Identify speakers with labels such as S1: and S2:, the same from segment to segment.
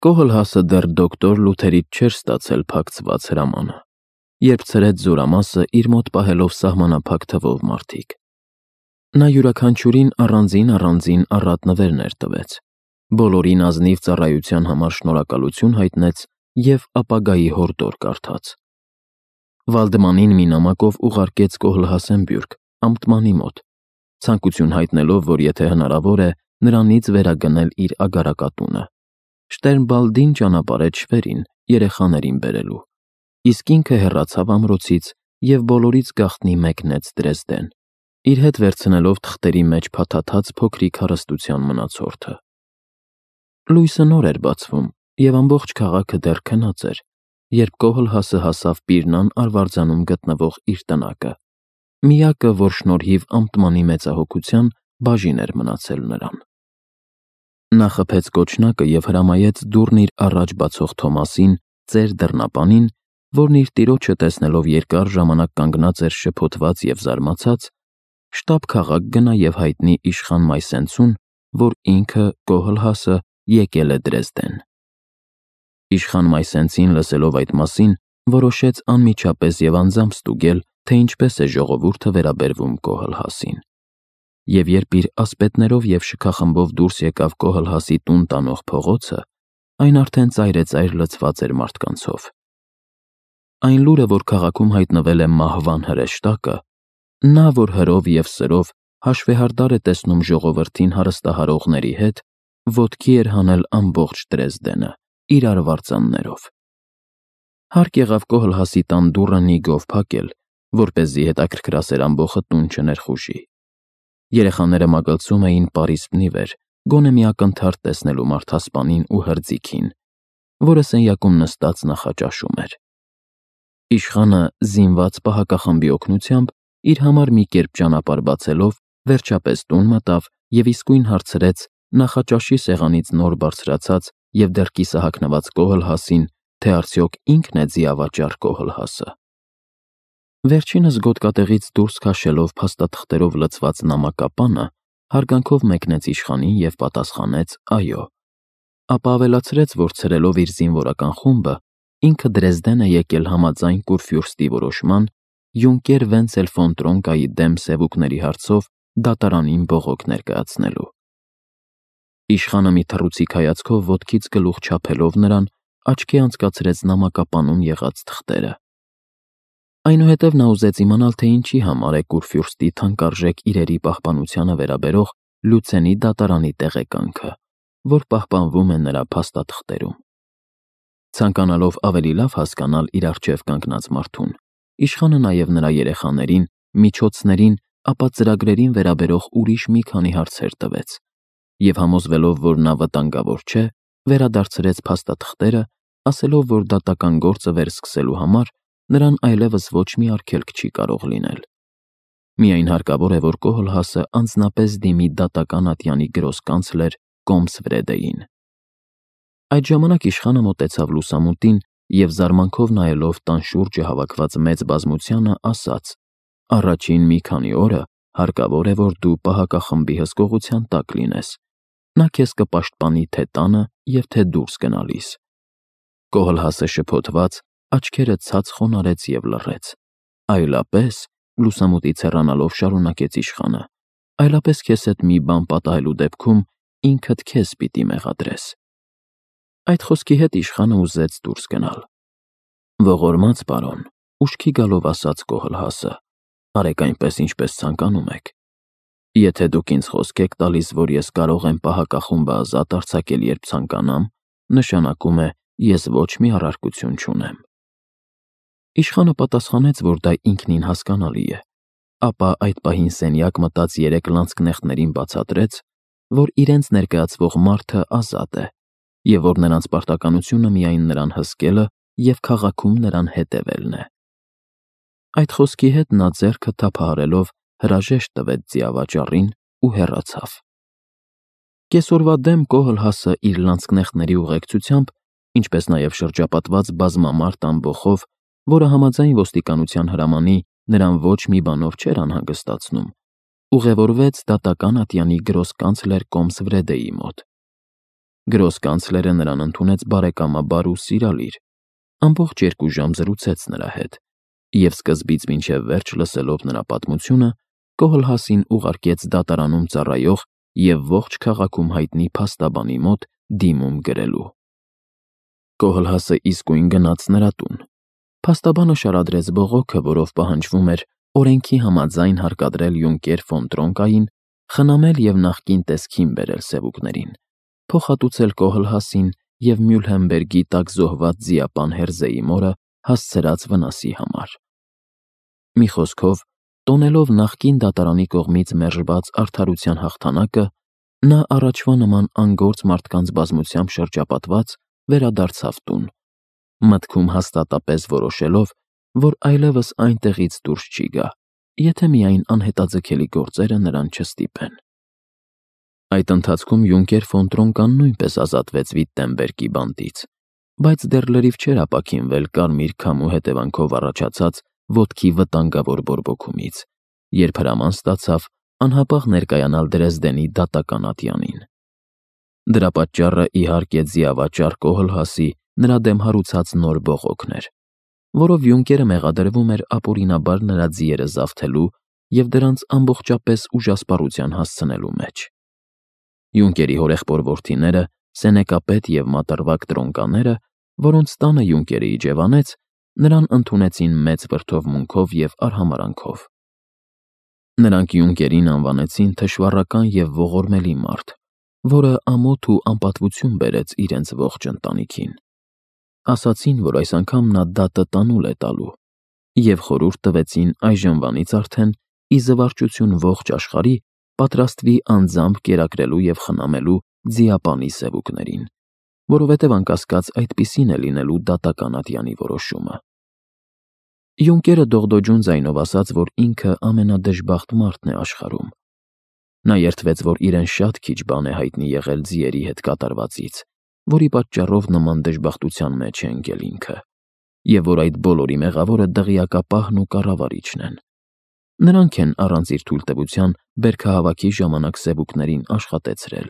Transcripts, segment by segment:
S1: Կոհլհասը դեռ դոկտոր Լութերից չէր ստացել փակցված հրամանը, երբ ցրեց զորամասը իր մոտ պահելով սահմանափակ թվով մարդիկ։ Նա յուրաքանչյուրին առանձին առատ նվերներ տվեց, բոլորին ազնիվ ծառայության համար շնորհակալություն հայտնեց և ապագայի հորդոր կարդաց։ Վալդեմանին մի նամակով ուղարկեց Կոհլհասեն բյուրք, Ամտմանի մոտ, ցանկություն հայտնելով, որ եթե հնարավոր է, նրանից վերագնել իր ագարակատունը։ Շտերնբալդին ճանապարհեց Շվերին, երեխաներին բերելու, իսկ ինքը հեռացավ ամրոցից և բոլորից գաղտնի մեկնեց Դրեզդեն, իր հետ վերցնելով թղթերի մեջ փաթաթած փոքրիկ հարստության մնացորդը։ Լույսը նոր էր բացվում, և ամբողջ քաղաքը դեռ քնած էր, երբ Կոհլհասը հասավ Պիրնան արվարձանում գտնվող իր տնակը, միակը, որ շնորհիվ Ամտմանի մեծահոգության բաժին էր մնացել նրան։ Նա խփեց կոչնակը և հրամայեց դուռն իր առաջ բացող Թոմասին, ծեր դռնապանին, որն իր տիրոջը տեսնելով երկար ժամանակ կանգնած էր շփոթված և զարմացած, շտապ քաղաք գնա և հայտնի իշխան Մայսենցուն, որ ինքը, Կոհլհասը, եկել է Դրեզդեն։ Իշխան Մայսենցին, լսելով այդ մասին, որոշեց անմիջապես և անձամբ ստուգել, թե ինչպես է ժողովուրդը վերաբերվում Կոհլհասին։ Եվ երբ իր ասպետներով և շքախմբով դուրս եկավ Կոհլհասի տուն տանող փողոցը, այն արդեն ծայրեծայր լցված էր մարդկանցով։ Այն լուրը, որ քաղաքում հայտնվել է մահվան հրեշտակը, նա, որ հրով և սրով հաշվեհարդար է տեսնում ժողովրդին հարստահարողների հետ, ոտքի էր հանել ամբողջ Դրեզդենը, իր արվարձաններով։ Հարկ եղավ Կոհլհասի տան դուռը նիգով փակել, որպեսզի հետաքրքրասեր ամբոխը տուն չներխուժի։ Երեխաները մագլցում էին պարիսպն ի վեր, գոնե մի ակնթարթ տեսնելու մարդասպանին ու հրձիքին, որը սենյակում նստած նախաճաշում էր։ Իշխանը, զինված պահակախմբի օգնությամբ, իր համար մի կերպ ճանապարհ բացելով, վերջապես տուն մտավ և իսկույն հարցրեց նախաճաշի սեղանից նոր բարձրացած և դեռ կիսահագնված Կոհլհասին, թե արդյոք ինքն է ձիավաճառ Կոհլհասը։ Վերջինս գոտկատեղից դուրս քաշելով փաստաթղթերով լցված նամակապանը, հարգանքով մեկնեց իշխանին և պատասխանեց «այո», ապա ավելացրեց, որ ցրելով իր զինվորական խումբը, ինքը Դրեզդեն է եկել համաձայն Կուրֆյուրստի որոշման յունկեր Վենցել ֆոն Տրոնկայի դեմ սևուկների հարցով դատարանին բողոք ներկայացնելու։ Իշխանը մի թռուցիկ հայացքով ոտքից գլուխ չափելով նրան, աչքի անցկացրեց նամակապանում եղած թղթերը։ Այնուհետև նա ուզեց իմանալ, թե ինչի համար է Կուրֆյուրստի թանկարժեք իրերի պահպանությանը վերաբերող Լյուցենի դատարանի տեղեկանքը, որ պահպանվում է նրա փաստաթղթերում։ Ցանկանալով ավելի լավ հասկանալ իր առջև կանգնած մարդուն, իշխանը նաև նրա երեխաներին, միջոցներին, ապա ծրագրերին վերաբերող ուրիշ մի քանի հարցեր տվեց, և համոզվելով, որ նա վտանգավոր չէ, վերադարձրեց փաստաթղթերը, ասելով, որ դատական գործը վերսկսելու համար նրան այլևս ոչ մի արգելք չի կարող լինել։ Միայն հարկավոր է, որ Կոհլհասը անձնապես դիմի դատական ատյանի գրոսկանցլեր Կոմսվրեդեին։ Այդ ժամանակ իշխանը մոտեցավ լուսամուտին և զարմանքով նայելով տան շուրջը հավաքված մեծ բազմությանը, ասաց. «Առաջին մի քանի օրը հարկավոր է, որ դու պահակախմբի հսկողության տակ լինես։ Նա քեզ կպաշտպանի թե տանը և թե դուրս գնալիս»։ Կոհլհասը շփոթված, աչքերը ցած խոնարհեց և լռեց։ «Այլապես», լուսամուտից հեռանալով շարունակեց իշխանը, «այլապես քեզ հետ մի բան պատահելու դեպքում ինքդ քեզ պիտի մեղադրես»։ Այդ խոսքի հետ իշխանը ուզեց դուրս գնալ։ «Ողորմած պարոն», ուշքի գալով ասաց Կոհլհասը, «արեք այնպես, ինչպես ցանկանում եք։ Եթե դուք ինձ խոսք եք տալիս, որ ես կարող եմ պահակախումբը ազատ արձակել, երբ ցանկանամ, նշանակում է, ես ոչ մի առարկություն չունեմ»։ Իշխանը պատասխանեց, որ դա ինքնին հասկանալի է, ապա այդ պահին սենյակ մտած երեք լանցկնեխտներին բացատրեց, որ իրենց ներկայացվող մարդը ազատ է, և որ նրանց պարտականությունը միայն նրան հսկելը և քաղաքում նրան հետևելն է։ Այդ խոսքի հետ նա ձեռքը թափահարելով հրաժեշտ տվեց ձիավաճառին ու հեռացավ։ Կեսօրվա դեմ Կոհլհասը իր լանցկնեխտների ուղեկցությամբ, ինչպես նաև շրջապատված բազմամարդ ամբոխով, որը համաձայն ոստիկանության հրամանի նրան ոչ մի բանով չէր անհանգստացնում, ուղևորվեց դատական ատյանի գրոսկանցլեր Կոմսվրեդեի մոտ։ Գրոսկանցլերը նրան ընդունեց բարեկամաբար ու սիրալիր, ամբողջ 2 ժամ զրուցեց նրա հետ, և սկզբից մինչև վերջ լսելով նրա պատմությունը, Կոհլհասին ուղարկեց դատարանում ծառայող և ողջ քաղաքում հայտնի փաստաբանի մոտ դիմում գրելու։ Կոհլհասը իսկույն գնաց նրա տուն։ Փաստաբանը շարադրեց բողոքը, որով պահանջվում էր օրենքի համաձայն հարկադրել յունկեր ֆոն Տրոնկային, խնամել և նախկին տեսքին բերել սևուկներին, փոխհատուցել Կոհլհասին և Մյուլհենբերգի տակ զոհված ձիապան Հերզեի մորը հասցրած վնասի համար։ Մի խոսքով, տոնելով նախկին դատարանի կողմից մերժված արդարության հաղթանակը, նա առաջվա նման անգործ մարդկանց բազմությամբ շրջապատված վերադարձավ տուն, մտքում հաստատապես որոշելով, որ այլևս այնտեղից դուրս չի գա, եթե միայն անհետաձգելի գործերը նրան չստիպեն։ Այդ ընթացքում յունկեր ֆոն Տրոնկան նույնպես ազատվեց Վիտտենբերգի բանտից, բայց դեռ լրիվ չէր ապաքինվել կարմիր քամու հետևանքով առաջացած ոտքի վտանգավոր բորբոքումից, երբ հրաման ստացավ անհապաղ ներկայանալ Դրեզդենի դատական ատյանին։ Դրա պատճառը, իհարկե, ձիավաճառ Կոհլհասի նրա դեմ հարուցած նոր բողոքն էր, որով յունկերը մեղադրվում էր ապօրինաբար նրա ձիերը զավթելու և դրանց ամբողջապես ուժասպառության հասցնելու մեջ։ Յունկերի հորեղբոր որդիները, Սենեկապետ և մատռվակ Տրոնկաները, որոնց տանը յունկերը իջևանեց, նրան ընդունեցին մեծ վրդովմունքով և արհամարհանքով։ Նրանք յունկերին անվանեցին թշվառական և ողորմելի մարդ, որը ամոթ ու անպատվություն բերեց իրենց ողջ ընտանիքին։ Ասացին, որ այս անգամ նա դատը տանուլ է տալու, և խորհուրդ տվեցին այժմվանից արդեն ի զվարճություն ողջ աշխարհի պատրաստվի անձամբ կերակրելու և խնամելու ձիապանի սևուկներին, որովհետև անկասկած այդպիսին է լինելու դատական ատյանի որոշումը։ Յունկերը դողդոջուն ձայնով ասաց, որ ինքը ամենադժբախտ մարդն է աշխարհում։ Նա երդվեց, որ իրեն շատ քիչ բան է հայտնի եղել ձիերի հետ կատարվածից, որի պատճառով նման դժբախտության մեջ է ընկել ինքը, և որ այդ բոլորի մեղավորը դղյակապահն ու կառավարիչն են։ Նրանք են առանց իր թույլտվության բերքահավաքի ժամանակ սևուկներին աշխատեցրել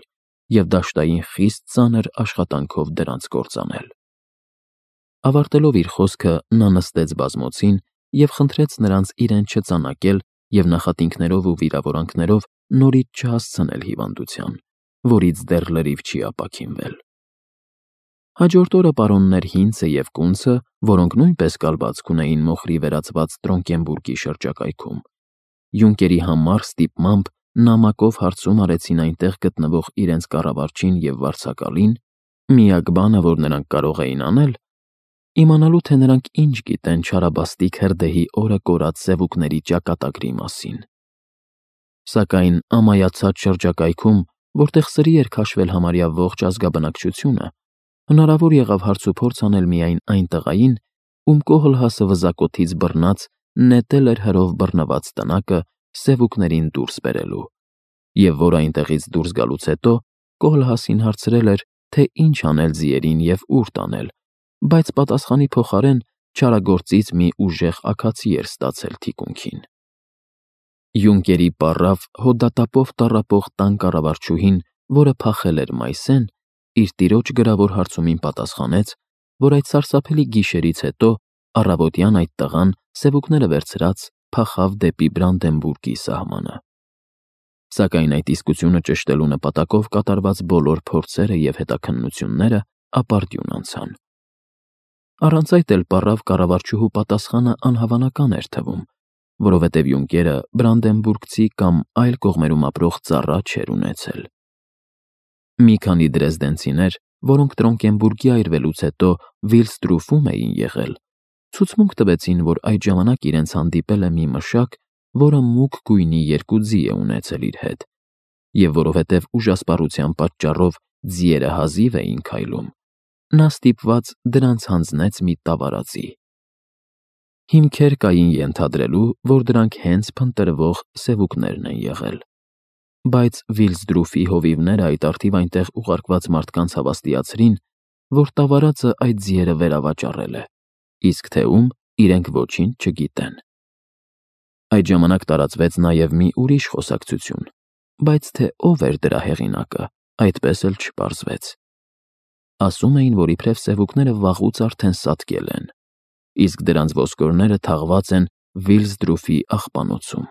S1: և դաշտային խիստ ծանր աշխատանքով դրանց կործանել։ Ավարտելով իր խոսքը, նա նստեց բազմոցին և խնդրեց նրանց իրեն չծանակել և նախատինքներով ու վիրավորանքներով նորից չհասցնել հիվանդության, որից դեռ լրիվ չի ապաքինվել։ Հաջորդ օրը պարոններ Հինցը և Կունցը, որոնք նույնպես կալվածք ունեին մոխրի վերածված Տրոնկենբուրգի շրջակայքում, յունկերի համառ ստիպմամբ նամակով հարցում արեցին այնտեղ գտնվող իրենց կառավարչին և վարձակալին, միակ բանը, որ նրանք կարող էին անել, իմանալու, թե նրանք ինչ գիտեն չարաբաստիկ հրդեհի օրը կորած սևուկների ճակատագրի մասին։ Սակայն ամայացած շրջակայքում, որտեղ սրի էր քաշվել համարյա ողջ ազգաբնակչությունը, հնարավոր եղավ հարցուփորձ անել միայն այն տղային, ում Կոհլհասը վզակոթից բռնած նետել էր հրով բռնված տնակը սևուկներին դուրս բերելու, և որ այնտեղից դուրս գալուց հետո Կոհլհասին հարցրել էր, թե ինչ անել ձիերին և ուր տանել, բայց պատասխանի փոխարեն չարագործից մի ուժեղ աքացի էր ստացել թիկունքին։ Յունկերի պառավ հոդատապով տառապող տան կառավարչուհին, որը փախել էր Մայսեն, իր տիրոջ գրավոր հարցումին պատասխանեց, որ այդ սարսափելի գիշերից հետո առավոտյան այդ տղան սևուկները վերցրած փախավ դեպի Բրանդենբուրգի սահմանը։ Սակայն այդ իսկությունը ճշտելու նպատակով կատարված բոլոր փորձերը և հետաքննությունները ապարդյուն անցան։ Առանց այդ էլ պառավ կառավարչուհու պատասխանը անհավանական էր թվում, որովհետև յունկերը բրանդենբուրգցի կամ այլ կողմերում ապրող ծառա չէր ունեցել։ Մի քանի դրեզդենցիներ, որոնք Տրոնկենբուրգի այրվելուց հետո Վիլստրուֆում էին եղել, ցուցմունք տվեցին, որ այդ ժամանակ իրենց հանդիպել է մի մշակ, որը մուգ գույնի 2 ձի է ունեցել իր հետ, և որովհետև ուժասպառության պատճառով ձիերը հազիվ էին քայլում, նա ստիպված դրանց հանձնեց մի տավարածի։ Հիմքեր կային ենթադրելու, որ դրանք հենց փնտրվող սևուկներն են եղել, բայց Վիլսդրուֆի հովիվները այդ առթիվ այնտեղ ուղարկված մարդկանց հավաստիացրին, որ տավարածը այդ ձիերը վերավաճառել է, իսկ թե ում, իրենք ոչինչ չգիտեն։ Այդ ժամանակ տարածվեց նաև մի ուրիշ խոսակցություն, բայց թե ով էր դրա հեղինակը, այդպես էլ չպարզվեց, ասում էին, որ իբրև սևուկները վաղուց արդեն սատկել են, իսկ դրանց ոսկորները թաղված են Վիլսդրուֆի աղբանոցում։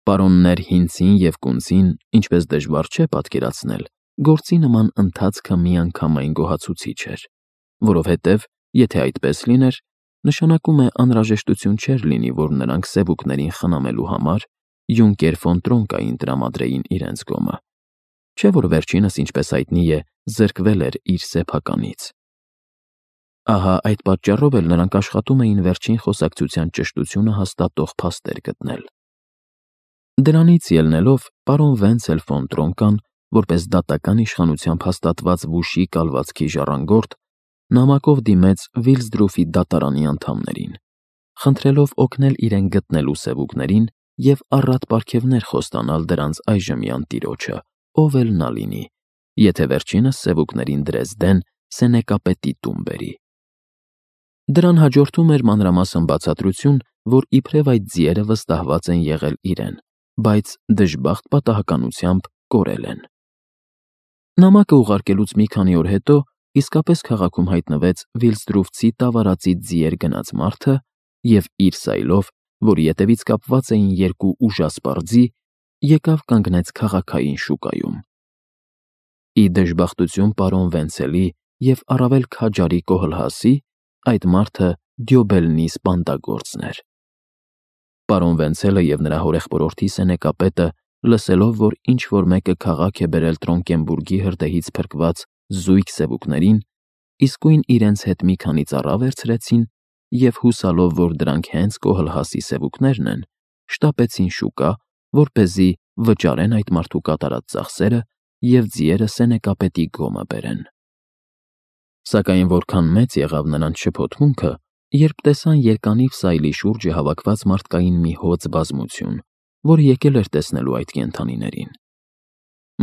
S1: Պարոններ Հինցին և Կունցին, ինչպես դժվար չէ պատկերացնել, գործի նման ընթացքը միանգամայն գոհացուցիչ էր, որովհետև, եթե այդպես լիներ, նշանակում է անհրաժեշտություն չէր լինի, որ նրանք սևուկներին խնամելու համար Յունկեր ֆոն Տրոնկային տրամադրեին իրենց գոմը, չէ՞ որ վերջինս, ինչպես հայտնի է, զրկվել էր իր սեփականից։ Ահա այդ պատճառով էլ նրանք աշխատում էին վերջին խոսակցության ճշտությունը հաստատող փաստեր գտնել։ Դրանից ելնելով, պարոն Վենցել ֆոն Տրոնկան, որպես դատական իշխանությամբ հաստատված Վուշի կալվածքի ժառանգորդ, նամակով դիմեց Վիլսդրուֆի դատարանի անդամներին, խնդրելով օգնել իրեն գտնելու սևուկներին և առատ պարգևներ խոստանալ դրանց այժմյան տիրոջը, ով էլ նա լինի, եթե վերջինս սևուկներին Դրեզդեն սենեկապետի տուն բերի։ Դրան հաջորդում էր մանրամասն բացատրություն, որ իբրև այդ ձիերը վստահված են եղել իրեն, բայց դժբախտ պատահականությամբ կորել են։ Նամակը ուղարկելուց մի քանի օր հետո իսկապես քաղաքում հայտնվեց Վիլսդրուֆցի տավարածի ձիեր գնաց մարդը և իր սայլով, որի ետևից կապված էին երկու ուժասպառ ձի, եկավ կանգնեց քաղաքային շուկայում։ Ի դժբախտություն պարոն Վենցելի և առավել քաջարի Կոհլհասի, այդ մարդը Դյոբելնի սպանդագործն էր։ Պարոն Վենցելը և նրա հորեղբորորդի սենեկապետը, լսելով, որ ինչ-որ մեկը քաղաք է բերել Տրոնկենբուրգի հրդեհից փրկված զույգ սևուկներին, իսկույն իրենց հետ մի քանի ծառա վերցրեցին և հուսալով, որ դրանք հենց Կոհլհասի սևուկներն են, շտապեցին շուկա, որպեսզի վճարեն այդ մարդու կատարած ծախսերը և ձիերը սենեկապետի գոմը բերեն։ Սակայն որքան մեծ եղավ նրանց շփոթմունքը, երբ տեսան երկանիվ սայլի շուրջը հավաքված մարդկային մի հոծ բազմություն, որը եկել էր տեսնելու այդ կենդանիներին։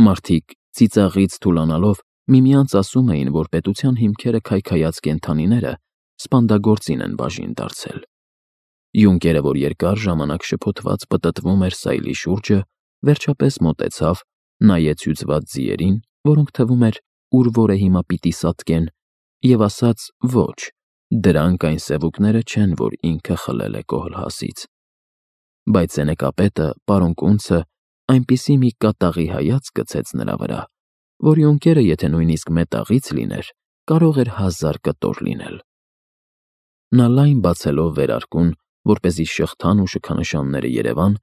S1: Մարդիկ ծիծաղից թուլանալով միմյանց ասում էին, որ պետության հիմքերը քայքայած կենդանիները սպանդագործին են բաժին դարձել։ Յունկերը, որ երկար ժամանակ շփոթված պտտվում էր սայլի շուրջը, վերջապես մոտեցավ, նայեց հյուծված ձիերին, որոնք թվում էր ուր որը հիմա պիտի սատկեն, և ասաց. «Ոչ, դրանք այն սևուկները չեն, որ ինքը խլել է Կոհլհասից»։ Բայց սենեկապետը, պարոն Կունցը, այնպիսի մի կատաղի հայացք գցեց նրա վրա, որ Յունկերը, եթե նույնիսկ մետաղից լիներ, կարող էր 1000 կտոր լինել։ Նա լայն բացելով վերարկուն, որպեսզի շղթան ու շքանշանները երևան,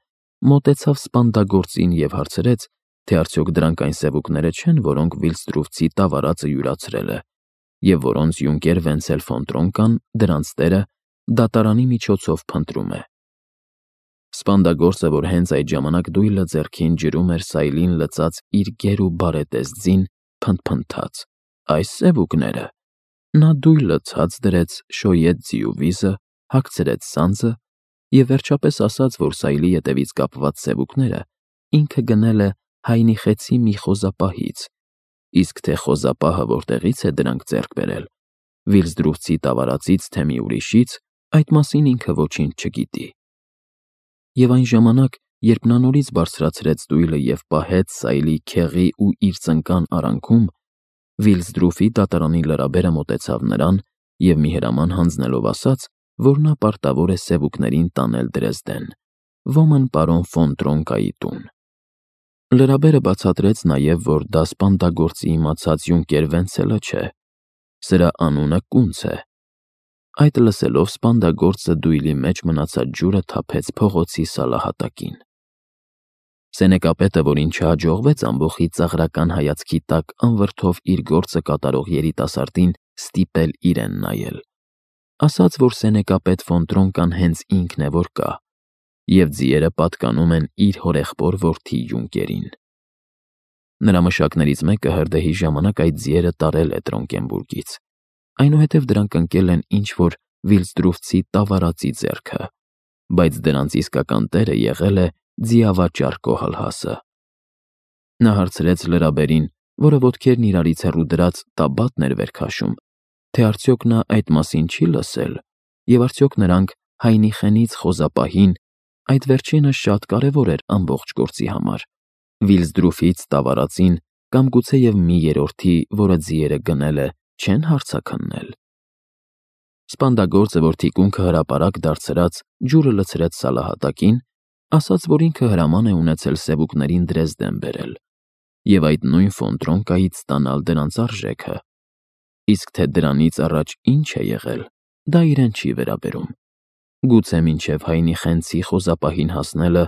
S1: մոտեցավ սպանդագործին և հարցրեց, թե արդյոք դրանք այն սևուկները չեն, որոնք Վիլսդրուֆցի տավարածը յուրացրել է, և որոնց Յունկեր Վենցել ֆոն Տրոնկան, դրանց տերը, դատարանի միջոցով փնտրում է։ Սպանդագործը, որ հենց այդ ժամանակ դույլը ձեռքին ջրում էր սայլին լցած իր գեր ու բարետես ձին, փնթփնթաց. «Այս սևուկները»։ Նա դույլը ցած դրեց, շոյեց ձիու վիզը, հագցրեց սանձը և վերջապես ասաց, որ սայլի ետևից կապված սևուկները ինքը գնել է Հայնիխեցի մի խոզապահից, իսկ թե խոզապահը որտեղից է դրանք ձեռք բերել, Վիլսդրուֆցի տավարածից, թե մի ուրիշից, այդ մասին ինքը ոչինչ չգիտի։ Եվ այն ժամանակ, երբ նա նորից բարձրացրեց դույլը և պահեց սայլի քեղի ու իր ծնկան արանքում, Վիլսդրուֆի դատարանի լրաբերը մոտեցավ նրան և մի հրաման հանձնելով ասաց, որ նա պարտավոր է սևուկներին տանել Դրեզդեն, ոմն պարոն ֆոն Տրոնկայի տուն։ Լրաբերը բացատրեց նաև, որ դա սպանդագործի իմացած Յունկեր Վենցելը չէ, սրա անունը Կունց է։ Այդ լսելով սպանդագործը դույլի մեջ մնացած ջուրը թափեց փողոցի սալահատակին։ Սենեկապետը, որին չհաջողվեց ամբոխի ծաղրական հայացքի տակ անվրդով իր գործը կատարող երիտասարդին ստիպել իրեն նայել, ասաց, որ սենեկապետ ֆոն Տրոնկան հենց ինքն է, որ կա, և ձիերը պատկանում են իր հորեղբոր որդի Յունկերին։ Նրա մշակներից մեկը հրդեհի ժամանակ այդ ձիերը տարել է Տրոնկենբուրգից, այնուհետև դրանք ընկել են ինչ-որ Վիլսդրուֆցի տավարածի ձեռքը, բայց դրանց իսկական տերը եղել է ձիավաճառ Կոհլհասը։ Նա հարցրեց լրաբերին, որը ոտքերն իրարից հեռու դրած տաբատն էր վեր քաշում, թե արդյոք նա այդ մասին չի լսել, և արդյոք նրանք Հայնիխենից խոզապահին, այդ վերջինը շատ կարևոր էր ամբողջ գործի համար, Վիլսդրուֆից տավարածին կամ գուցեև մի երրորդի, որը ձիերը գնել է, չեն հարցաքննել։ Սպանդագործը, որ թիկունքը հրապարակ դարձրած ջուրը լցրեց սալահատակին, ասաց, որ ինքը հրաման է ունեցել սևուկներին Դրեզդեն բերել և այդ նույն Ֆոնտրոնկայից ստանալ դրանց արժեքը, իսկ թե դրանից առաջ ինչ է եղել, դա իրեն չի վերաբերում։ Գուցե մինչև Հայնի Խենցի խոզապահին հասնելը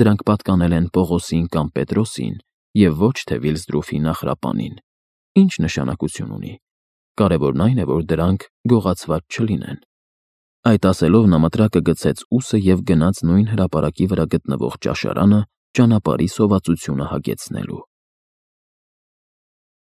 S1: դրանք պատկանել են Պողոսին կամ Պետրոսին և ոչ թե Վիլսդրուֆի նախրապանին, ինչ նշանակություն ունի, կարևորն այն է, որ դրանք գողացված չլինեն։ Այդ ասելով նա մտրակը գցեց ուսը և գնաց նույն հրապարակի վրա գտնվող ճաշարանը ճանապարհի սովածությունը հագեցնելու։